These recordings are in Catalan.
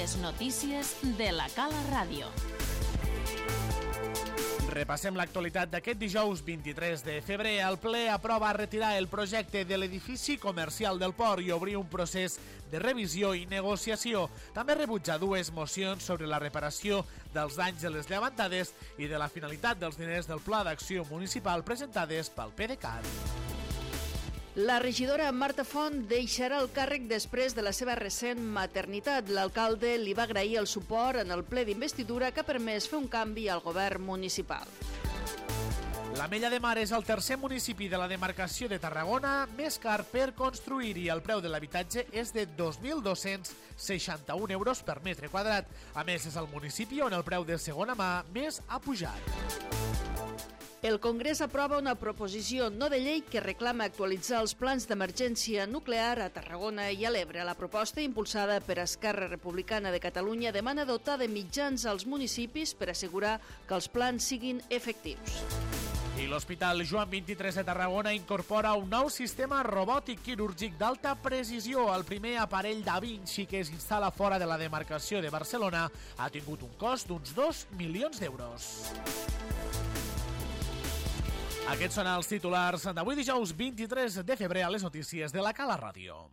Les notícies de la Cala Ràdio. Repassem l'actualitat d'aquest dijous 23 de febrer. El ple aprova retirar el projecte de l'edifici comercial del port i obrir un procés de revisió i negociació. També rebutja dues mocions sobre la reparació dels danys de les llevantades i de la finalitat dels diners del Pla d'Acció Municipal presentades pel PDeCAT. La regidora Marta Font deixarà el càrrec després de la seva recent maternitat. L'alcalde li va agrair el suport en el ple d'investidura que ha permès fer un canvi al govern municipal. L'Ametlla de Mar és el tercer municipi de la demarcació de Tarragona més car per construir i el preu de l'habitatge és de 2.261 euros per metre quadrat. A més, és el municipi on el preu de segona mà més ha pujat. El Congrés aprova una proposició no de llei que reclama actualitzar els plans d'emergència nuclear a Tarragona i a l'Ebre. La proposta, impulsada per Esquerra Republicana de Catalunya, demana dotar de mitjans als municipis per assegurar que els plans siguin efectius. I l'Hospital Joan 23 de Tarragona incorpora un nou sistema robòtic quirúrgic d'alta precisió. El primer aparell Da Vinci que es instal·la fora de la demarcació de Barcelona ha tingut un cost d'uns 2 milions d'euros. Aquests són els titulars d'avui dijous 23 de febrer a les notícies de la Cala Ràdio.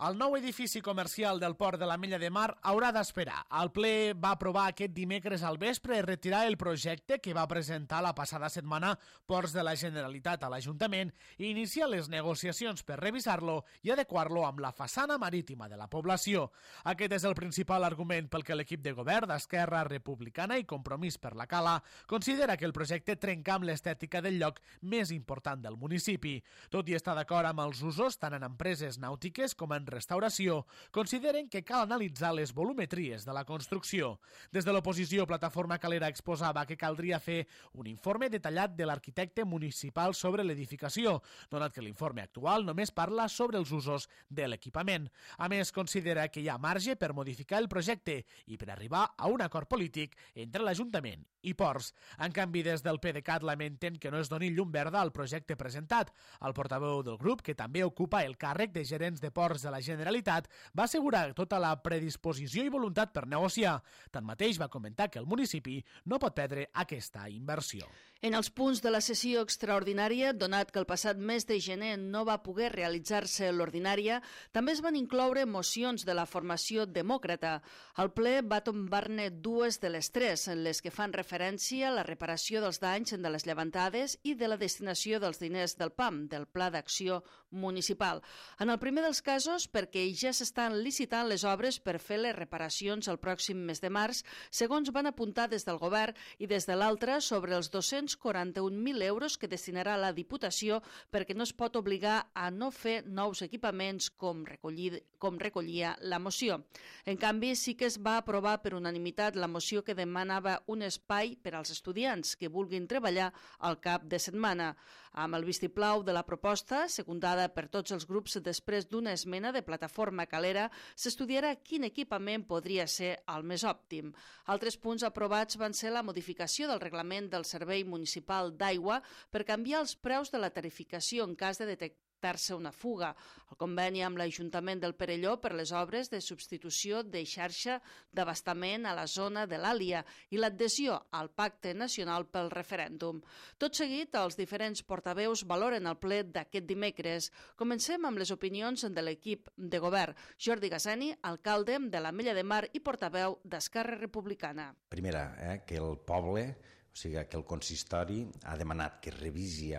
El nou edifici comercial del port de l'Ametlla de Mar haurà d'esperar. El ple va aprovar aquest dimecres al vespre retirar el projecte que va presentar la passada setmana Ports de la Generalitat a l'Ajuntament i iniciar les negociacions per revisar-lo i adequar-lo amb la façana marítima de la població. Aquest és el principal argument pel que l'equip de govern d'Esquerra Republicana i Compromís per la Cala considera que el projecte trenca amb l'estètica del lloc més important del municipi. Tot i estar d'acord amb els usos tant en empreses nàutiques com en restauració, consideren que cal analitzar les volumetries de la construcció. Des de l'oposició, Plataforma Calera exposava que caldria fer un informe detallat de l'arquitecte municipal sobre l'edificació, donat que l'informe actual només parla sobre els usos de l'equipament. A més, considera que hi ha marge per modificar el projecte i per arribar a un acord polític entre l'Ajuntament i Ports. En canvi, des del PDeCAT lamenten que no es doni llum verda al projecte presentat. El portaveu del grup, que també ocupa el càrrec de gerents de Ports de la Generalitat, va assegurar tota la predisposició i voluntat per negociar. Tanmateix, va comentar que el municipi no pot perdre aquesta inversió. En els punts de la sessió extraordinària, donat que el passat mes de gener no va poder realitzar-se l'ordinària, també es van incloure mocions de la formació demòcrata. El ple va tombar-ne dues de les tres, en les que fan referència a la reparació dels danys de les llevantades i de la destinació dels diners del PAM, del Pla d'Acció Municipal. En el primer dels casos, perquè ja s'estan licitant les obres per fer les reparacions el pròxim mes de març, segons van apuntar des del govern, i des de l'altre sobre els 241.000 euros que destinarà la Diputació perquè no es pot obligar a no fer nous equipaments com recollia la moció. En canvi, sí que es va aprovar per unanimitat la moció que demanava un espai per als estudiants que vulguin treballar al cap de setmana. Amb el vistiplau de la proposta, secundada per tots els grups després d'una esmena de Plataforma Calera, s'estudiarà quin equipament podria ser el més òptim. Altres punts aprovats van ser la modificació del reglament del Servei Municipal d'Aigua per canviar els preus de la tarificació en cas de detectar una fuga, el conveni amb l'Ajuntament del Perelló per les obres de substitució de xarxa d'abastament a la zona de l'Àlia i l'adhesió al Pacte Nacional pel Referèndum. Tot seguit, els diferents portaveus valoren el ple d'aquest dimecres. Comencem amb les opinions de l'equip de govern. Jordi Gassani, alcalde de l'Ametlla de Mar i portaveu d'Esquerra Republicana. Primera, que el poble, o sigui, que el consistori ha demanat que revisi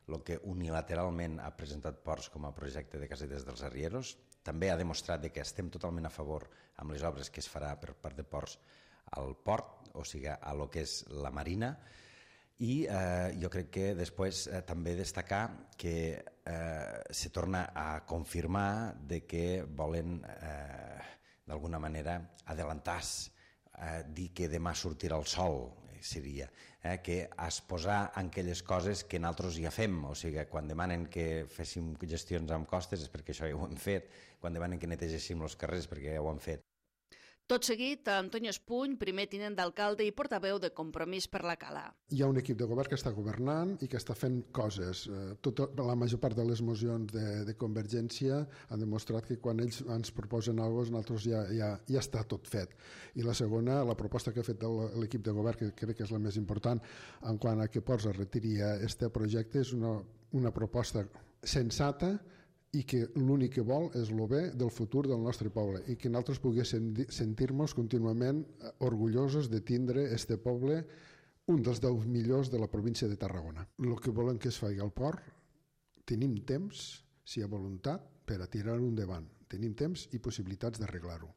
el que unilateralment ha presentat Ports com a projecte de casetes dels arrieros. També ha demostrat que estem totalment a favor amb les obres que es farà per part de Ports al port, o sigui, a lo que és la marina. I jo crec que després també destacar que se torna a confirmar de que volen d'alguna manera adelantar-se, dir que demà sortirà el sol, seria, que exposar aquelles coses que nosaltres ja fem, o sigui, quan demanen que féssim gestions amb costes és perquè això ja ho hem fet, quan demanen que netegéssim els carrers perquè ja ho hem fet. Tot seguit, Antonio Espuny, primer tinent d'alcalde i portaveu de Compromís per la Cala. Hi ha un equip de govern que està governant i que està fent coses. La major part de les mocions de Convergència han demostrat que quan ells ens proposen alguna cosa, nosaltres ja està tot fet. I la segona, la proposta que ha fet l'equip de govern, que crec que és la més important, en quant a que Ports es retiri aquest projecte, és una proposta sensata i que l'únic que vol és el bé del futur del nostre poble i que nosaltres poguéssim sentir-nos contínuament orgullosos de tindre este poble, un dels 10 millors de la província de Tarragona. El que volem que es faci al port, tenim temps, si hi ha voluntat, per a tirar-ho endavant. Tenim temps i possibilitats d'arreglar-ho.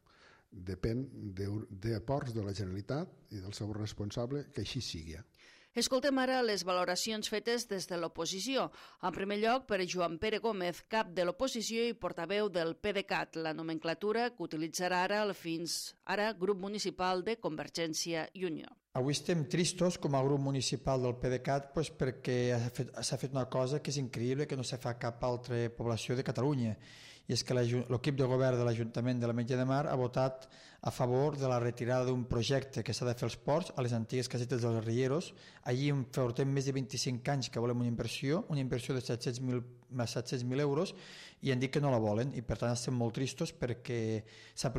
Depèn de Ports, de la Generalitat i del seu responsable, que així sigui. Escoltem ara les valoracions fetes des de l'oposició. En primer lloc, per Joan Pere Gómez, cap de l'oposició i portaveu del PDeCAT, la nomenclatura que utilitzarà ara el fins ara grup municipal de Convergència i Unió. Avui estem tristos com a grup municipal del PDeCAT perquè s'ha fet una cosa que és increïble, que no se fa a cap altra població de Catalunya, i és que l'equip de govern de l'Ajuntament de l'Ametlla de Mar ha votat a favor de la retirada d'un projecte que s'ha de fer als ports a les antigues casetes dels Rieros. Allí portem més de 25 anys que volem una inversió de 700.000 euros, i han dit que no la volen, i per tant estem molt tristos perquè se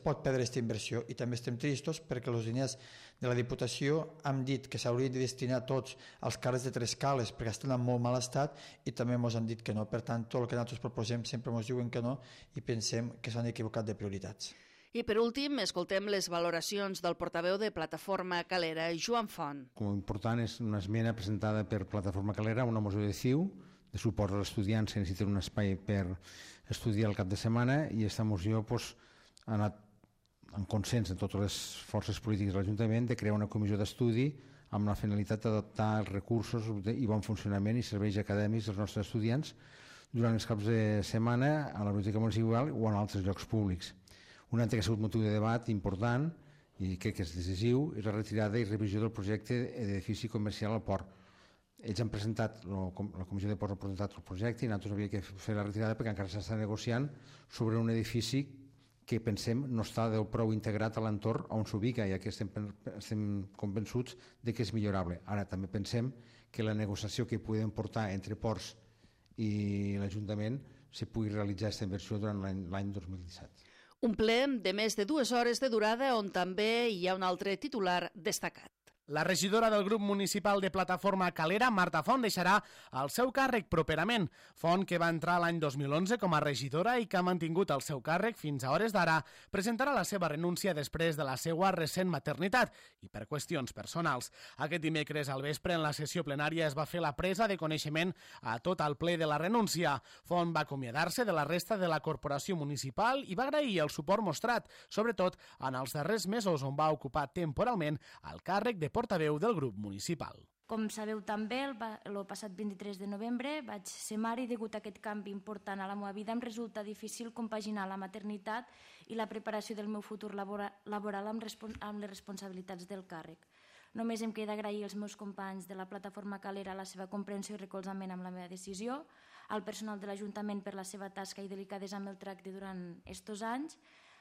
pot perdre aquesta inversió, i també estem tristos perquè els diners de la Diputació han dit que s'haurien de destinar tots als carrers de Tres Cales perquè estan en molt mal estat, i també ens han dit que no. Per tant, tot el que nosaltres proposem sempre ens diuen que no, i pensem que s'han equivocat de prioritats. I per últim, escoltem les valoracions del portaveu de Plataforma Calera, Joan Font. Com important és una esmena presentada per Plataforma Calera, una moció de CiU, de suport als estudiants que necessiten un espai per estudiar el cap de setmana, i aquesta moció ha anat en consens amb totes les forces polítiques de l'Ajuntament de crear una comissió d'estudi amb la finalitat d'adaptar els recursos i bon funcionament i serveis acadèmics dels nostres estudiants durant els caps de setmana a la biblioteca municipal o en altres llocs públics. Un altre que ha sigut motiu de debat important i crec que és decisiu és la retirada i revisió del projecte d'edifici comercial al port. Ells han presentat, la Comissió de Ports ha presentat el projecte i nosaltres havíem de fer la retirada perquè encara s'està negociant sobre un edifici que pensem no està del prou integrat a l'entorn on s'ubica, ja que estem convençuts de que és millorable. Ara també pensem que la negociació que podem portar entre Ports i l'Ajuntament se pugui realitzar aquesta inversió durant l'any 2017. Un ple de més de 2 hores de durada on també hi ha un altre titular destacat. La regidora del grup municipal de Plataforma Calera, Marta Font, deixarà el seu càrrec properament. Font, que va entrar l'any 2011 com a regidora i que ha mantingut el seu càrrec fins a hores d'ara, presentarà la seva renúncia després de la seva recent maternitat i per qüestions personals. Aquest dimecres al vespre, en la sessió plenària, es va fer la presa de coneixement a tot el ple de la renúncia. Font va acomiadar-se de la resta de la corporació municipal i va agrair el suport mostrat, sobretot en els darrers mesos on va ocupar temporalment el càrrec de portaveu del grup municipal. Com sabeu també, el passat 23 de novembre vaig ser mare i degut a aquest canvi important a la meva vida em resulta difícil compaginar la maternitat i la preparació del meu futur laboral amb les responsabilitats del càrrec. Només em queda agrair als meus companys de la Plataforma Calera la seva comprensió i recolzament amb la meva decisió, al personal de l'Ajuntament per la seva tasca i delicadesa amb el tracte durant estos anys.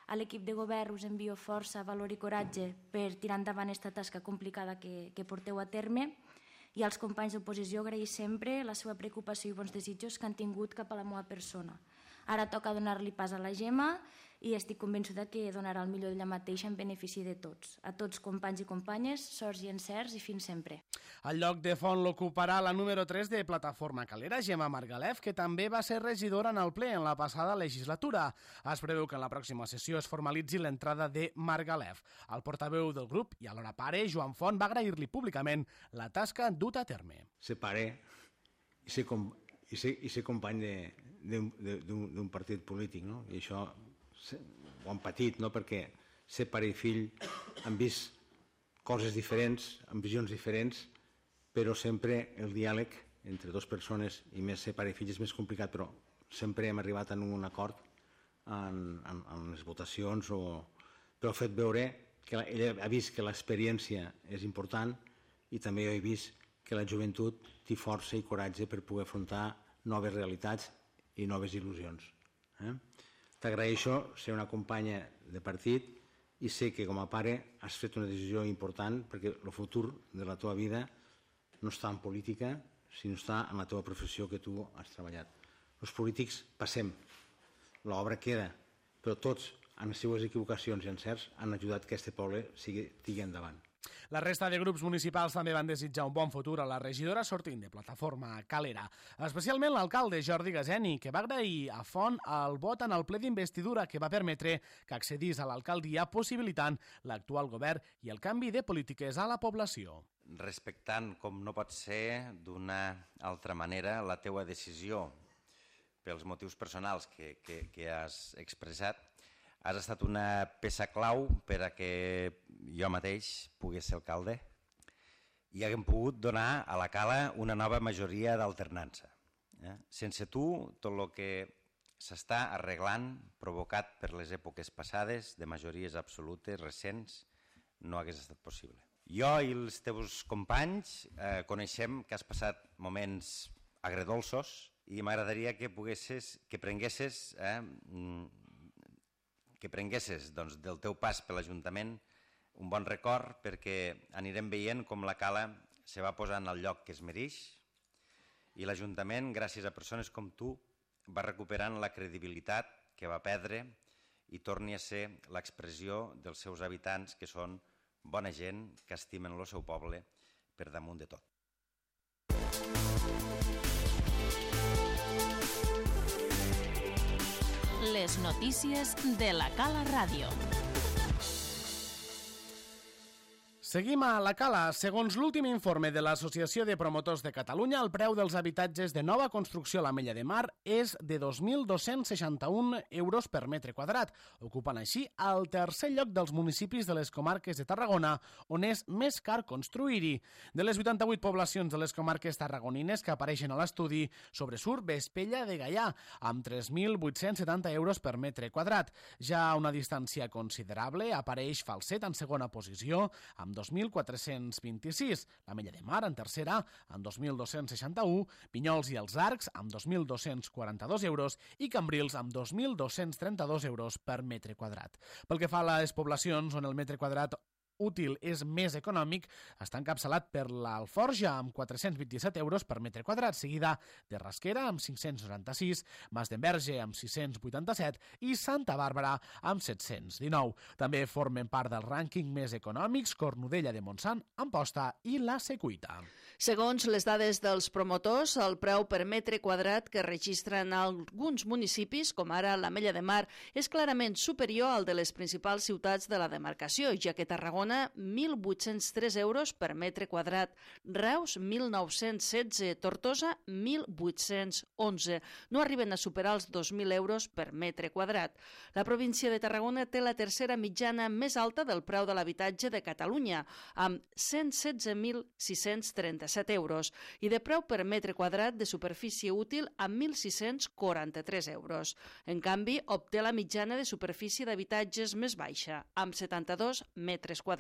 A l'equip de govern us envio força, valor i coratge per tirar endavant aquesta tasca complicada que porteu a terme, i als companys d'oposició agrair sempre la seva preocupació i bons desitjos que han tingut cap a la meva persona. Ara toca donar-li pas a la Gemma i estic convençuda que donarà el millor d'ella mateixa en benefici de tots. A tots, companys i companyes, sorts i encerts i fins sempre. El lloc de Font l'ocuparà la número 3 de Plataforma Calera, Gemma Margalef, que també va ser regidora en el ple en la passada legislatura. Es preveu que en la pròxima sessió es formalitzi l'entrada de Margalef. El portaveu del grup i alhora pare, Joan Font, va agrair-li públicament la tasca duta a terme. Ser pare i ser company d'un partit polític, no? I això ho han patit, no? Perquè ser pare i fill han vist coses diferents, amb visions diferents, però sempre el diàleg entre dues persones, i més ser pare i fill és més complicat, però sempre hem arribat a un acord en les votacions, però ha fet veure que ella ha vist que l'experiència és important i també jo he vist que la joventut té força i coratge per poder afrontar noves realitats i noves il·lusions. T'agraeixo ser una companya de partit i sé que com a pare has fet una decisió important perquè el futur de la teva vida no està en política, sinó està en la teva professió que tu has treballat. Els polítics passem, l'obra queda, però tots, amb les seues equivocacions i encerts, han ajudat que aquest poble tigui endavant. La resta de grups municipals també van desitjar un bon futur a la regidora sortint de Plataforma Calera. Especialment l'alcalde Jordi Gaseni, que va agrair a Font el vot en el ple d'investidura que va permetre que accedís a l'alcaldia possibilitant l'actual govern i el canvi de polítiques a la població. Respectant, com no pot ser d'una altra manera, la teua decisió pels motius personals que has expressat, has estat una peça clau per a que jo mateix pogués ser alcalde i haguem pogut donar a la Cala una nova majoria d'alternança. Sense tu, tot el que s'està arreglant, provocat per les èpoques passades, de majories absolutes, recents, no hagués estat possible. Jo i els teus companys coneixem que has passat moments agredolços i m'agradaria que prenguesses del teu pas per l'Ajuntament un bon record, perquè anirem veient com la Cala se va posar en el lloc que es mereix i l'Ajuntament, gràcies a persones com tu, va recuperant la credibilitat que va perdre i torni a ser l'expressió dels seus habitants, que són bona gent, que estimen el seu poble per damunt de tot. Les notícies de la Cala Ràdio. Seguim a la Cala. Segons l'últim informe de l'Associació de Promotors de Catalunya, el preu dels habitatges de nova construcció a l'Ametlla de Mar és de 2.261 euros per metre quadrat, ocupant així el tercer lloc dels municipis de les comarques de Tarragona, on és més car construir-hi. De les 88 poblacions de les comarques tarragonines que apareixen a l'estudi, sobresurt Vespella de Gaià, amb 3.870 euros per metre quadrat. Ja a una distància considerable apareix Falset en segona posició, amb 2.426, l'Ametlla de Mar en tercera amb 2.261, Vinyols i els Arcs amb 2.242 euros i Cambrils amb 2.232 euros per metre quadrat. Pel que fa a les poblacions on el metre quadrat útil és més econòmic, està encapçalat per l'Alforja amb 427 euros per metre quadrat, seguida de Rasquera amb 596, Masdenverge amb 687 i Santa Bàrbara amb 719. També formen part del rànquing més econòmics Cornudella de Montsant, Amposta i la Secuita. Segons les dades dels promotors, el preu per metre quadrat que registren alguns municipis, com ara l'Ametlla de Mar, és clarament superior al de les principals ciutats de la demarcació, ja que Tarragona, 1.803 euros per metre quadrat, Reus, 1.916, Tortosa, 1.811. No arriben a superar els 2.000 euros per metre quadrat. La província de Tarragona té la tercera mitjana més alta del preu de l'habitatge de Catalunya, amb 116.637 euros, i de preu per metre quadrat de superfície útil amb 1.643 euros. En canvi, obté la mitjana de superfície d'habitatges més baixa, amb 72 metres quadrats.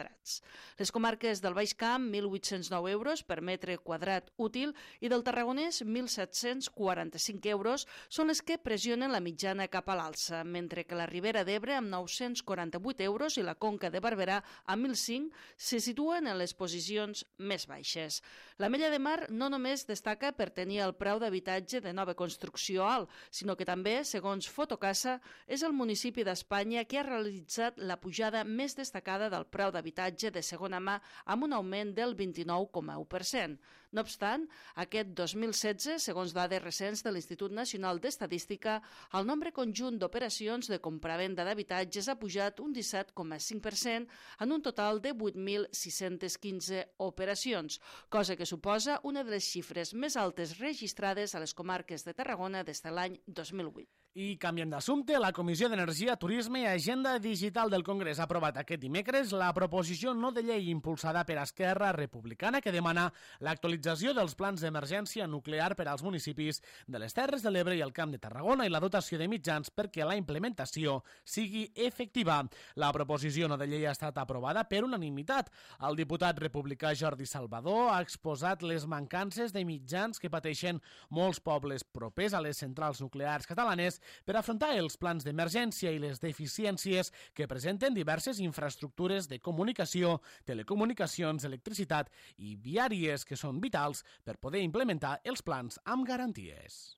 Les comarques del Baix Camp, 1.809 euros per metre quadrat útil, i del Tarragonès, 1.745 euros, són les que pressionen la mitjana cap a l'alça, mentre que la Ribera d'Ebre, amb 948 euros, i la Conca de Barberà, amb 1.005, se situen en les posicions més baixes. L'Ametlla de Mar no només destaca per tenir el preu d'habitatge de nova construcció alt, sinó que també, segons Fotocasa, és el municipi d'Espanya que ha realitzat la pujada més destacada del preu d'habitatge de segona mà, amb un augment del 29,1%. No obstant, aquest 2016, segons dades recents de l'Institut Nacional d'Estadística, el nombre conjunt d'operacions de compravenda d'habitatges ha pujat un 17,5% en un total de 8.615 operacions, cosa que suposa una de les xifres més altes registrades a les comarques de Tarragona des de l'any 2008. I canviem d'assumpte, la Comissió d'Energia, Turisme i Agenda Digital del Congrés ha aprovat aquest dimecres la proposició no de llei impulsada per Esquerra Republicana que demana l'actualització dels plans d'emergència nuclear per als municipis de les Terres de l'Ebre i el Camp de Tarragona i la dotació de mitjans perquè la implementació sigui efectiva. La proposició no de llei ha estat aprovada per unanimitat. El diputat republicà Jordi Salvador ha exposat les mancances de mitjans que pateixen molts pobles propers a les centrals nuclears catalanes necessàries per afrontar els plans d'emergència i les deficiències que presenten diverses infraestructures de comunicació, telecomunicacions, electricitat i viàries que són vitals per poder implementar els plans amb garanties.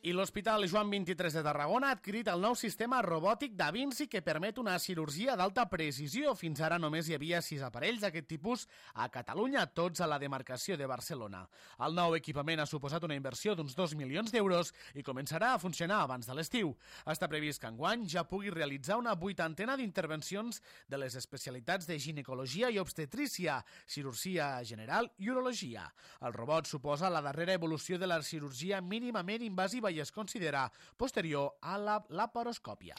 I l'Hospital Joan XXIII de Tarragona ha adquirit el nou sistema robòtic Da Vinci que permet una cirurgia d'alta precisió. Fins ara només hi havia 6 aparells d'aquest tipus a Catalunya, tots a la demarcació de Barcelona. El nou equipament ha suposat una inversió d'uns 2 milions d'euros i començarà a funcionar abans de l'estiu. Està previst que enguany ja pugui realitzar una 80ena d'intervencions de les especialitats de ginecologia i obstetrícia, cirurgia general i urologia. El robot suposa la darrera evolució de la cirurgia mínimament invasiva i es considera posterior a la laparoscòpia.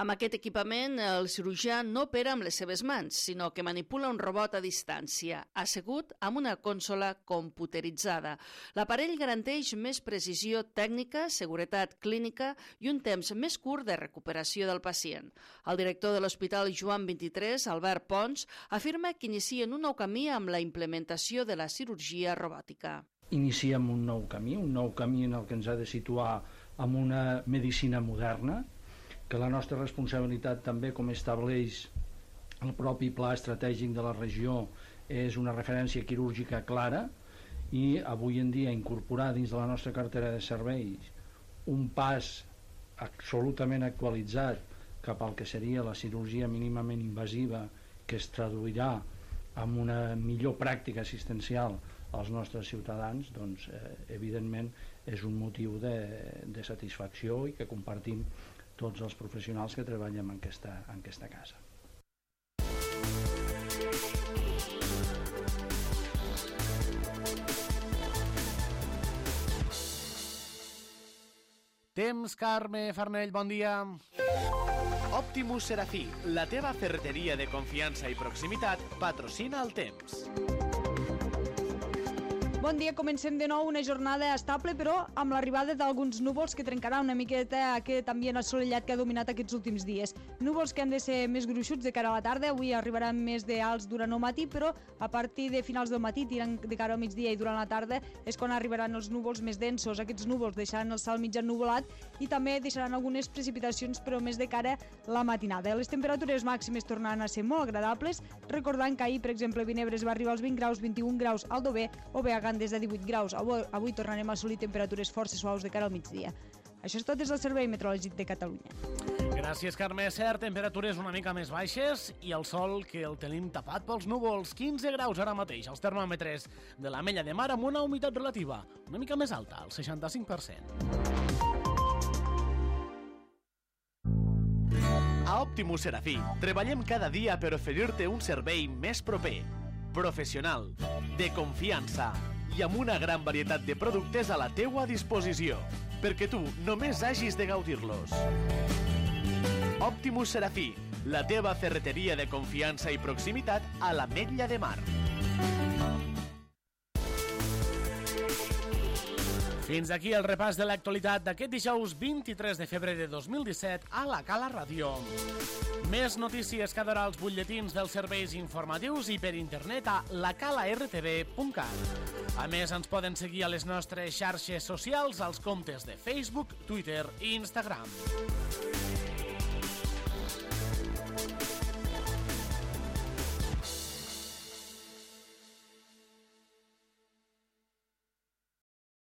Amb aquest equipament, el cirurgià no opera amb les seves mans, sinó que manipula un robot a distància, assegut amb una consola computeritzada. L'aparell garanteix més precisió tècnica, seguretat clínica i un temps més curt de recuperació del pacient. El director de l'Hospital Joan XXIII, Albert Pons, afirma que inicien un nou camí amb la implementació de la cirurgia robòtica. Iniciem un nou camí en el que ens ha de situar amb una medicina moderna, que la nostra responsabilitat també, com estableix el propi pla estratègic de la regió, és una referència quirúrgica clara i avui en dia incorporar dins de la nostra cartera de serveis un pas absolutament actualitzat cap al que seria la cirurgia mínimament invasiva, que es traduirà en una millor pràctica assistencial als nostres ciutadans, doncs, evidentment és un motiu de satisfacció i que compartim tots els professionals que treballem en aquesta casa. Temps, Carme Farnell, bon dia. Optimus Serafí, la teva ferreteria de confiança i proximitat, patrocina el temps. Bon dia, comencem de nou una jornada estable, però amb l'arribada d'alguns núvols que trencarà una miqueta aquest ambient assolellat que ha dominat aquests últims dies. Núvols que han de ser més gruixuts de cara a la tarda, avui arribaran més d'alts durant el matí, però a partir de finals del matí, tirant de cara al migdia i durant la tarda, és quan arribaran els núvols més densos. Aquests núvols deixaran el cel mig ennuvolat i també deixaran algunes precipitacions, però més de cara a la matinada. Les temperatures màximes tornaran a ser molt agradables, recordant que ahir, per exemple, Vinebres va arribar als 20 graus, 21 graus al Dover, o Beagan des de 18 graus. Avui tornarem a assolir temperatures força suaus de cara al migdia. Això és tot des del Servei Meteorològic de Catalunya. Gràcies, Carme. Cert, temperatures una mica més baixes i el sol que el tenim tapat pels núvols. 15 graus ara mateix als termòmetres de l'Ametlla de Mar amb una humitat relativa una mica més alta, el 65%. A Optimus Serafí treballem cada dia per oferir-te un servei més proper, professional, de confiança i amb una gran varietat de productes a la teua disposició, perquè tu només hagis de gaudir-los. Optimus Serafí, la teva ferreteria de confiança i proximitat a l'Ametlla de Mar. Fins aquí el repàs de l'actualitat d'aquest dijous 23 de febrer de 2017 a la Cala Ràdio. Més notícies cada hora als butlletins dels serveis informatius i per internet a lacalartv.cat. A més, ens poden seguir a les nostres xarxes socials als comptes de Facebook, Twitter i Instagram.